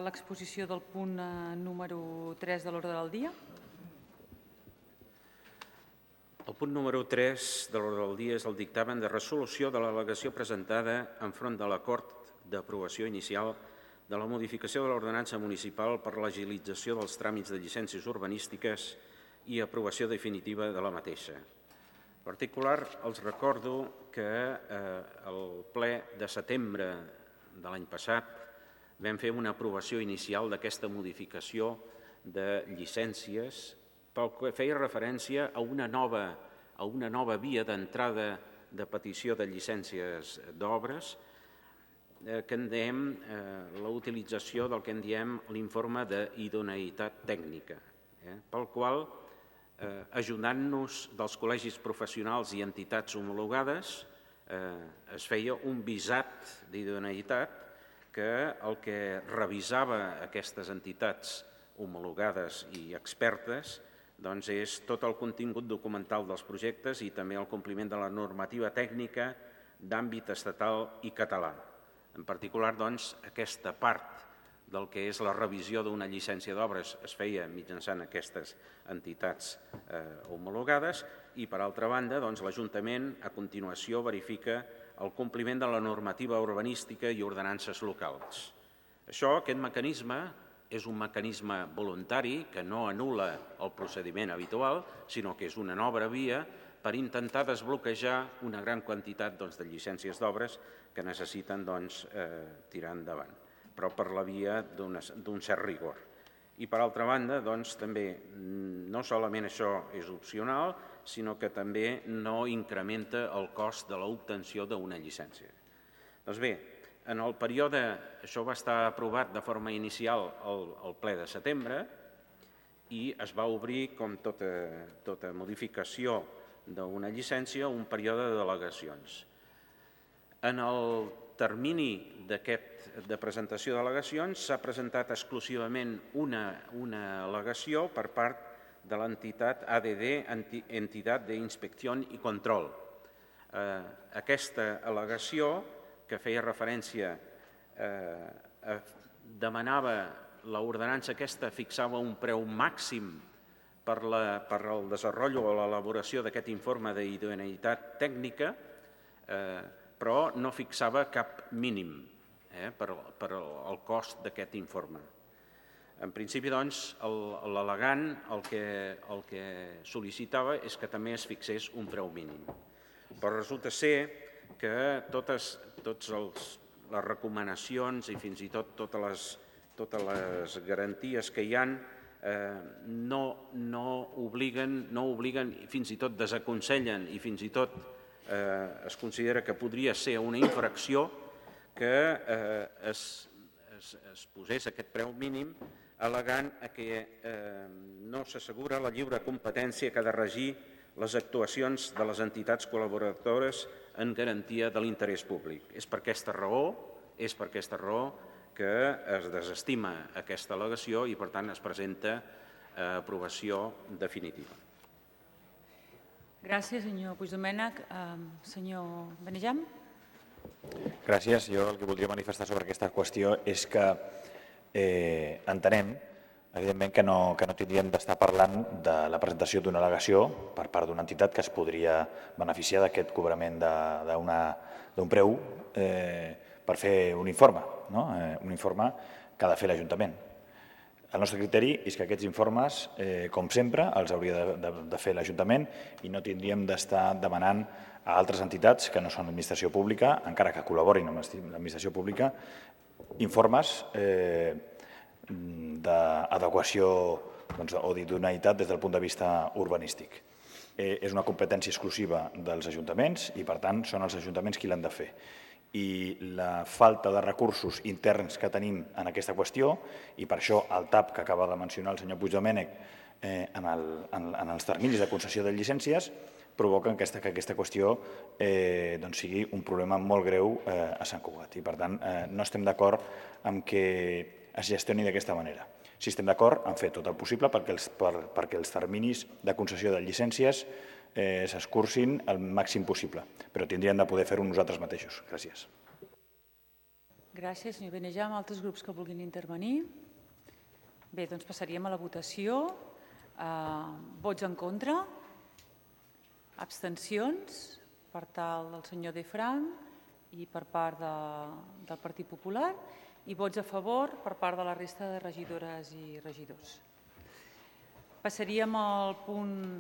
l'exposició del punt número 3 de l'ordre del dia. El punt número 3 de l'ordre del dia és el dictamen de resolució de l'al·legació presentada enfront de l'acord d'aprovació inicial de la modificació de l'ordenança municipal per l'agilització dels tràmits de llicències urbanístiques i aprovació definitiva de la mateixa. En particular, els recordo que al ple de setembre de l'any passat vam fer una aprovació inicial d'aquesta modificació de llicències pel que feia referència a una nova via d'entrada de petició de llicències d'obres que en diem la utilització del que en diem l'informe d'idoneïtat tècnica, pel qual, ajudant-nos dels col·legis professionals i entitats homologades, es feia un visat d'idoneïtat que el que revisava aquestes entitats homologades i expertes doncs és tot el contingut documental dels projectes i també el compliment de la normativa tècnica d'àmbit estatal i català. En particular, doncs, aquesta part del que és la revisió d'una llicència d'obres es feia mitjançant aquestes entitats homologades i, per altra banda, l'Ajuntament a continuació verifica el compliment de la normativa urbanística i ordenances locals. Aquest mecanisme és un mecanisme voluntari que no anul·la el procediment habitual, sinó que és una nova via per intentar desbloquejar una gran quantitat de llicències d'obres que necessiten tirar endavant, però per la via d'un cert rigor. I, per altra banda, també no solament això és opcional, sinó que també no incrementa el cost de l'obtenció d'una llicència. Doncs bé, en el període, això va estar aprovat de forma inicial al ple de setembre i es va obrir, com tota modificació d'una llicència, un període de delegacions. En el termini de presentació d'al·legacions s'ha presentat exclusivament una al·legació per part de l'entitat ADD, Entitat d'Inspecció i Control. Aquesta al·legació, que feia referència, demanava l'ordenança aquesta, fixava un preu màxim per al desenvolupament o l'elaboració d'aquest informe d'idoneïtat tècnica, però no fixava cap mínim per al cost d'aquest informe. En principi, doncs, l'al·legant el que sol·licitava és que també es fixés un preu mínim. Però resulta ser que totes les recomanacions i fins i tot totes les garanties que hi ha no obliguen, fins i tot desaconsellen i fins i tot es considera que podria ser una infracció que es posés aquest preu mínim al·legant que no s'assegura la lliure competència que ha de regir les actuacions de les entitats col·laboradores en garantia de l'interès públic. És per aquesta raó que es desestima aquesta al·legació i, per tant, es presenta a aprovació definitiva. Gràcies, senyor Puigdomènech. Senyor Benejam. Gràcies. Jo el que voldria manifestar sobre aquesta qüestió és que entenem, evidentment, que no tindríem d'estar parlant de la presentació d'una al·legació per part d'una entitat que es podria beneficiar d'aquest cobrament d'un preu per fer un informe, un informe que ha de fer l'Ajuntament. El nostre criteri és que aquests informes, com sempre, els hauria de fer l'Ajuntament i no tindríem d'estar demanant a altres entitats que no són l'administració pública, encara que col·laborin amb l'administració pública, informes d'adequació o d'idoneïtat des del punt de vista urbanístic. És una competència exclusiva dels ajuntaments i, per tant, són els ajuntaments qui l'han de fer. I la falta de recursos interns que tenim en aquesta qüestió, i per això el TAP que acaba de mencionar el senyor Puigdomènech en els terminis de concessió de llicències, provoquen que aquesta qüestió sigui un problema molt greu a Sant Cugat. I, per tant, no estem d'acord amb que es gestioni d'aquesta manera. Sí estem d'acord en fer tot el possible perquè els terminis de concessió de llicències s'escurcin el màxim possible, però tindríem de poder fer-ho nosaltres mateixos. Gràcies. Gràcies, senyor Benejam. Altres grups que vulguin intervenir? Bé, doncs passaríem a la votació. Vots en contra? Abstencions? Per tal del senyor De Frank i per part del Partit Popular, i vots a favor per part de la resta de regidores i regidors. Passaríem al punt